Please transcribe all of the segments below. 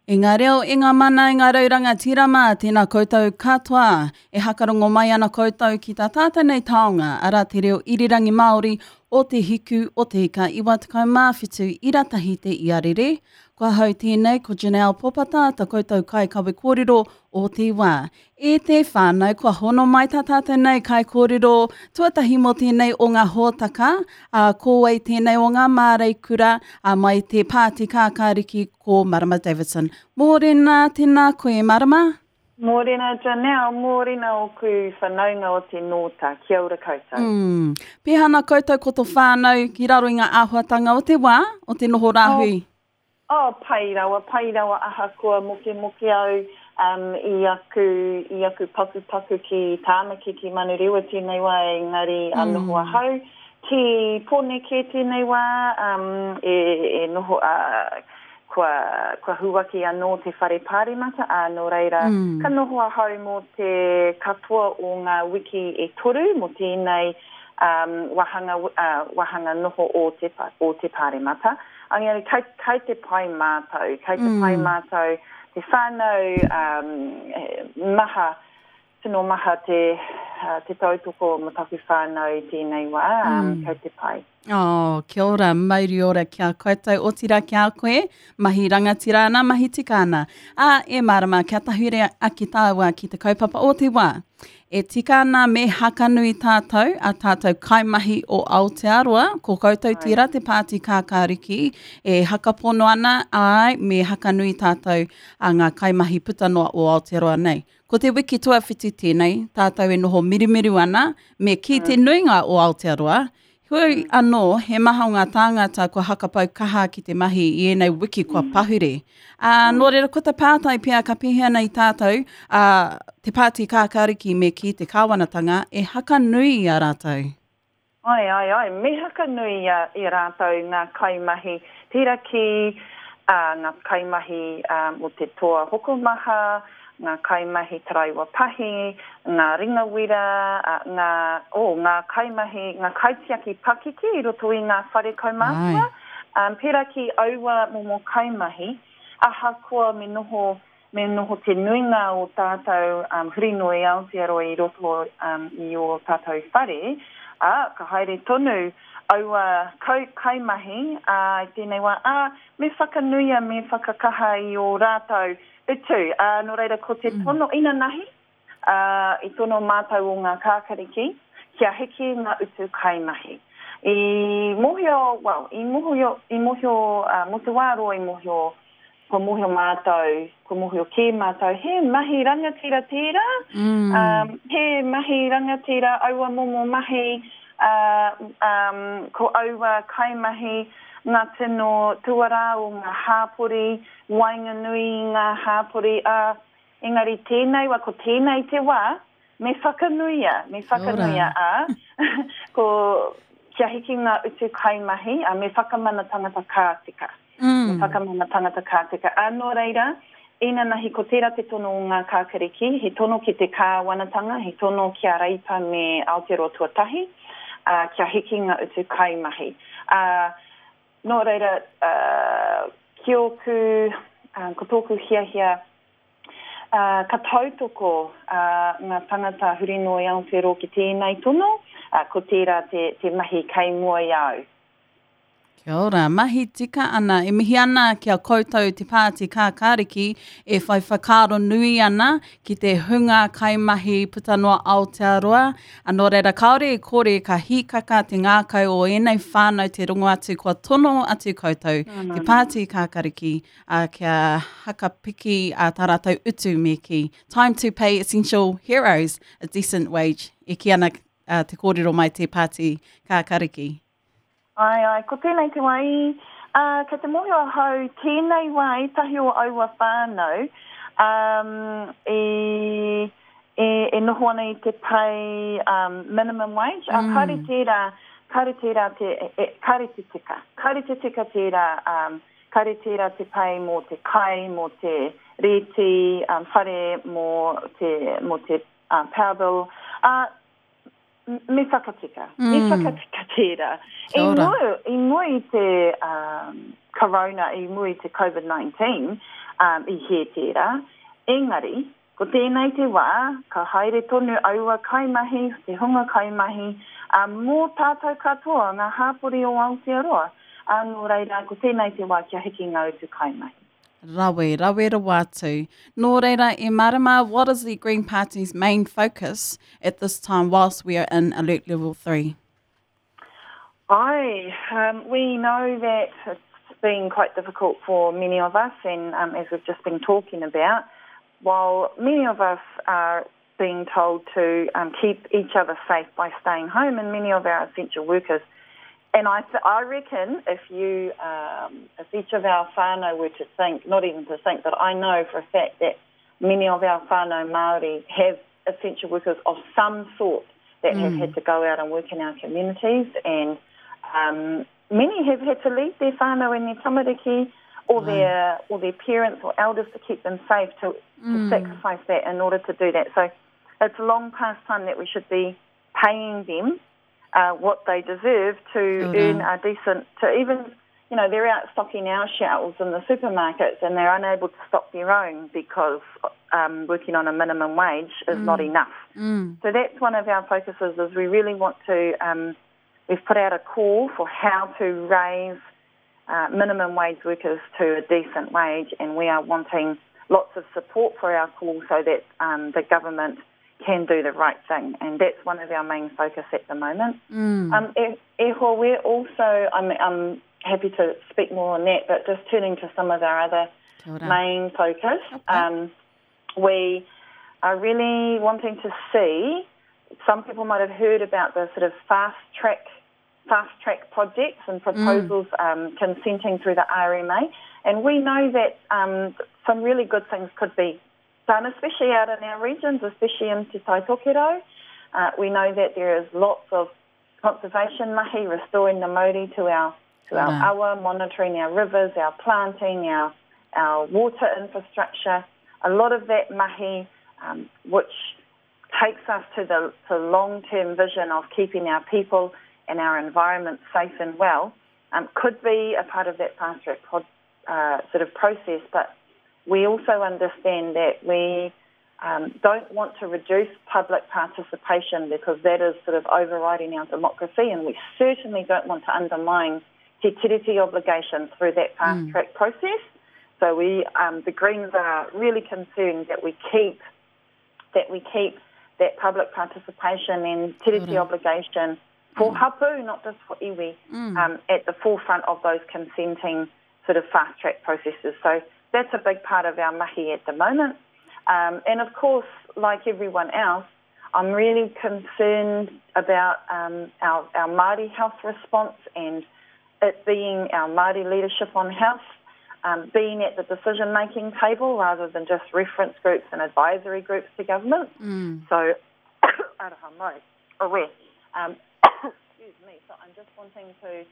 E ngā reo, e ngā mana, e ngā rau rangatira mā, tēnā koutou katoa. E hakarongo mai ana koutou ki tā tātou nei taonga, arā te reo irirangi Māori o Te Hiku o Te Ika 97 ira tahi te iarere. Ko ahau tēnei, ko Janelle Popata, ta koutou kaikawe kōrero o te wā. E te whānau, kua hono mai tā tātou nei kaikōrero tuatahi mō tēnei o ngā hōtaka, ā, ko wai tēnei o ngā māreikura, ā, mai te Pāti Kākāriki ko Marama Davidson. Mōrena, tēnā koe Marama. Mōrena Janelle, mōrena ōku whanaunga o te Nōta, kia ora koutou. Mm. Pēhea ana koutou ko tō whānau ki raro i ngā āhuatanga o te wā, o te noho rāhui? Oh, Oh, pai rawa, pai rawa ahakoa mokemoke au um, i aku, i aku pakupaku ki Tāmaki, ki Manurewa tēnei wā, engari a noho ahau ki Pōneke tēnei wā, um, e, e noho, uh, kua, kua huaki anō te whare pāremata, ā, nō reira, ka noho ahau mō te katoa o ngā wiki e toru mō tēnei um, wāhanga, uh, wāhanga noho o te, o te pāremata. Engari kei, kei te pai mātou, kei te pai mātou, te whānau, um, maha, tino maha te, uh, te tautoko mo taku whānau i tēnei wā, um, kei te pai. Oh, kia ora, mauri ora ki a koutou, otirā ki a koe, mahi rangatira ana, mahi tika ana. Ā, e mārama, kia tahure ake tāua ki te kaupapa o te wā. E tika ana me hakanui tātou, a tātou kaimahi o Aotearoa, ko koutou tērā te pāti kākāriki, e hakapono ana, āe, me hakanui tātou a ngā kaimahi puta noa o Aotearoa nei. Ko te wiki tuawhiti tēnei, tātou e noho mirumiru ana, me kī te nuinga o Aotearoa, Heoi anō, he maha o ngā tāngata kua hakapau kaha ki te mahi i ēnei wiki kua pahure. Ā, nō reira, ko te pātai pea ka pēhea nei tātou, ā, te Pāti Kākāriki me kī te kāwanatanga e hakanui i a rātou? Āe, āe, āe, me hakanui i a, i a rātou ngā kaimahi, pērā ki, ā, ngā kaimahi, ā, mō te toa hokomaha, ngā kaimahi taraiwa pahi, ngā ringawira, ngā, oh, ngā kaimahi, ngā kaitiaki pakeke i roto i ngā whare kaumātua, um, pērā ki aua momo kaimahi, ahakoa me noho, me noho te nuinga o tātou um, huri noa i Aotearoa i roto um, i ō tātou whare, ā, ka haere tonu aua kau, kaimahi ā, i tēnei wā, ā, me whakanuia, me whakakaha i ō rātou Utu, ā, nō reira ko te tono inanahi, ā, i tono mātou o ngā kākariki kia hiki ngā utu kaimahi. I mōhio, well, i mōhio, i mōhio, ā, mō te wā roa i mōhio, kua mōhio mātou, kua mōhio kē mātou, he mahi rangatira tērā, ā, he mahi rangatira aua momo mahi, ā, ā, ko aua kaimahi ngā tino tuarā o ngā hāpori, waenganui i ngā hāpori, ā, engari tēnei wā, ko tēnei te wā, me whakanuia, me whakanuia, ā, ko, kia hiki ngā utu kaimahi, ā, me whakamana tangata ka tika. Mm. Me whakamana tangata ka tika. Ā, nō reira, inanahi ko tērā te tono o ngā kākariki, he tono ki te kāwanatanga, he tono ki a Reipa me Aotearoa Tuatahi, ā, kia hiki ngā utu kaimahi. Ā, Nō reira, ki ōku, ko tōku hiahia, ka tautoko ngā tangata huri noa i Aotearoa ki tēnei tono, ko tērā te mahi kei mua i a au. Kia ora, mahi tika ana. E mihi ana ki a koutou te Pāti Kākāriki e whai whakaaro nui ana ki te hunga kaimahi puta noa Aotearoa. A nō reira, kāore e kore ka hīkaka te ngākau o ēnei whānau te rongo atu kua tono atu koutou te Pāti Kākariki a, kia hakapiki a tā rātou utu me kī. Time to pay essential heroes a decent wage, e kī ana a, te kōrero mai te Pāti Kākariki. Āe, āe, ko tēnei te wā i, ā, kei te mōhio ahau tēnei wā ētahi o aua whānau, ā, i, e, e noho ana i te pay, ā, minimum wage, ā, kāore tērā, kāore tērā te, e, kāore te tika, kāore te tika tērā, ā, kāore tērā te pay mō te kai, mō te rēti, ā, whare, mō te, mō te, ā, power bill, ā, Me whakatika. Mm. Me whakatika tērā. I mua, i mua i te um, corona, i mua i te COVID-19, Um, i hē tērā. Engari, ko tēnei te wā, ka haere tonu aua kaimahi, te hunga kaimahi, ā, mō tātou katoa, ngā hāpori o Aotearoa. Ā, nō reira, ko tēnei te wā kia hiki ngā utu kaimahi. Rawe, rawe rawa atu. Nō reira, e mārama, what is the Green Party's main focus at this time whilst we are in Alert Level 3? Aye, um, we know that it's been quite difficult for many of us, and um, as we've just been talking about, while many of us are being told to um, keep each other safe by staying home, and many of our essential workers. And I, th- I reckon if you, um, if each of our whānau were to think, not even to think, but I know for a fact that many of our whānau Māori have essential workers of some sort that mm. have had to go out and work in our communities, and um, many have had to leave their whānau and their tamariki or their or their parents or elders to keep them safe to, mm. to sacrifice that in order to do that. So it's long past time that we should be paying them uh, what they deserve to earn a decent, to even, you know, they're out stocking our shelves in the supermarkets and they're unable to stock their own because um, working on a minimum wage is mm. not enough. Mm. So that's one of our focuses is we really want to, um, we've put out a call for how to raise uh, minimum wage workers to a decent wage and we are wanting lots of support for our call so that um, the government can do the right thing. And that's one of our main focus at the moment. Mm. Um, e, e hoa, we're also, I'm, I'm happy to speak more on that, but just turning to some of our other main focus, okay. um, we are really wanting to see, some people might have heard about the sort of fast track fast track projects and proposals mm. um, consenting through the RMA. And we know that um, some really good things could be done, especially out in our regions, especially in Te Tai Tokerau. Uh, we know that there is lots of conservation mahi, restoring the mauri to our to our awa, monitoring our rivers, our planting, our our water infrastructure. A lot of that mahi, um, which takes us to the to long-term vision of keeping our people and our environment safe and well, um, could be a part of that fast track pod, uh, sort of process. But we also understand that we um, don't want to reduce public participation because that is sort of overriding our democracy, and we certainly don't want to undermine te tiriti obligations through that fast mm. track process. So we, um, the Greens are really concerned that we keep that we keep that public participation and tiriti obligation for mm. hapu, not just for iwi, mm. um, at the forefront of those consenting sort of fast track processes. So that's a big part of our mahi at the moment. Um, and of course, like everyone else, I'm really concerned about um, our, our Māori health response and it being our Māori leadership on health, um, being at the decision-making table rather than just reference groups and advisory groups to government. Mm. So, aroha mai, Um, excuse me, so I'm just wanting to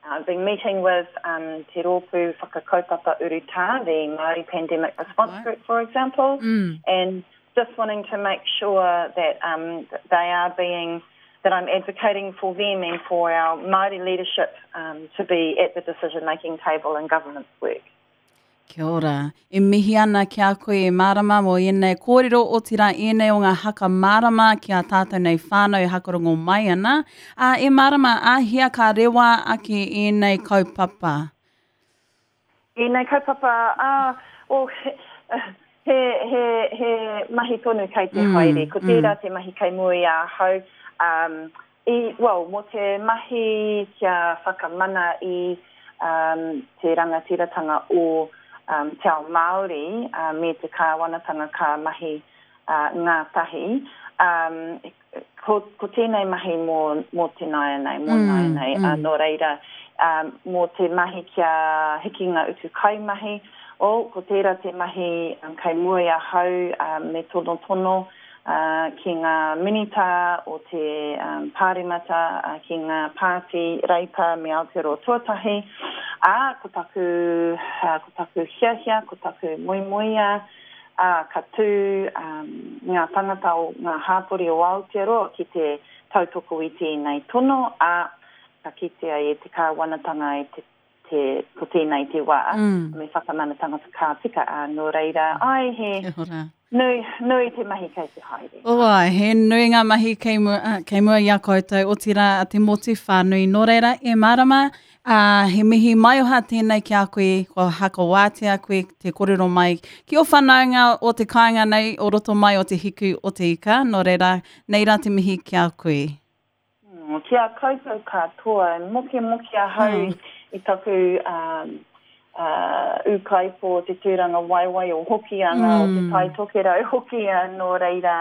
I've been meeting with um, Te Rōpū Whakakaupapa Urutā, the Māori Pandemic Response right. Group, for example, mm. and just wanting to make sure that um, they are being, that I'm advocating for them and for our Māori leadership um, to be at the decision-making table in government's work. Kia ora. E mihi ana ki a koe e mārama mō ēnei kōrero, otirā ēnei o ngā haka mārama ki a tātou nei whānau e hakarongo mai ana. Ā, e mārama, āhea ka rewa ake ēnei kaupapa? Ēnei kaupapa, ā, well, he, he, he mahi tonu kei te mm, haere. Ko tērā mm. te mahi kei mua i ahau. Um, I, well, mō te mahi kia whakamana i um, te rangatiratanga o um, te ao Māori uh, me te kāwanatanga ka mahi uh, ngātahi, um, ko, ko tēnei mahi mō, mō te nāianei, mō mm, nāianei, mm. Uh, nō reira, um, mō te mahi kia hiki ngā utu kaimahi, oh, ko tērā te mahi um, kei mua i ahau um, me tonotono, ki ngā minita o te Pāremata, ki ngā pāti Reipa me Aotearoa Tuatahi, ā, ko taku, ko taku hiahia, ko taku moemoeā, ā, ka tū ngā tangata o ngā hāpori o Aotearoa ki te tautoko i tēnei tono, ā, ka kitea e te kāwanatanga, e te. te, ko tēnei te wā, mm. me whakamana tangata ka tika, ā, nō reira, ai, he nui, nui te mahi kei te haere. Oh, ai, he nui ngā mahi kei mua, kei mua i a koutou, otirā a te motu whānui. Nō reira, e mārama, ā, he mihi maioha tēnei ki a koe, kua hakawātea koe te kōrero mai ki ō whanaunga o te kāinga nei, o roto mai o te hiku o te ika, nō reira, nei rā te mihi ki a koe. Ki a koutou katoa, e mokemoke ahau i taku ūkaipō o te tūrangawaewae o Hokianga, o Te Tai Tokerau hoki, nō reira,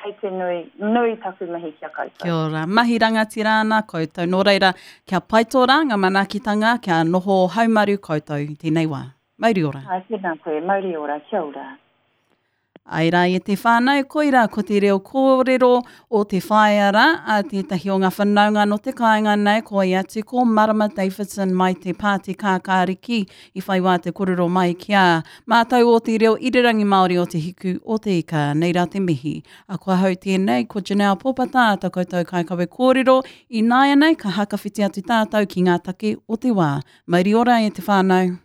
kei te nui, nui taku mihi ki a koutou. Kia ora. Mahi rangatira ana koutou, nō reira, kia pai tō rā, ngā manaakitanga, kia noho haumaru koutou i tēnei wā. Mauri ora. Āe, tēnā koe, mauri ora, kia ora. Āe rā e te whānau, koirā ko te reo kōrero o te whaea rā, a tētahi o ngā whanaunga nō te kāinga nei, ko ia atu ko Marama Davidson mai te Pāti Kākāriki i whai wā te kōrero mai ki a mātou o te reo irirangi Māori o Te Hiku o Te Ika. Nei rā te mihi. A ko ahau tēnei, ko Janelle Pōpata, tā koutou kaikawe kōrero, ināianei ka hakawhiti atu tātou ki ngā take o te wā. Mauri ora e te whānau.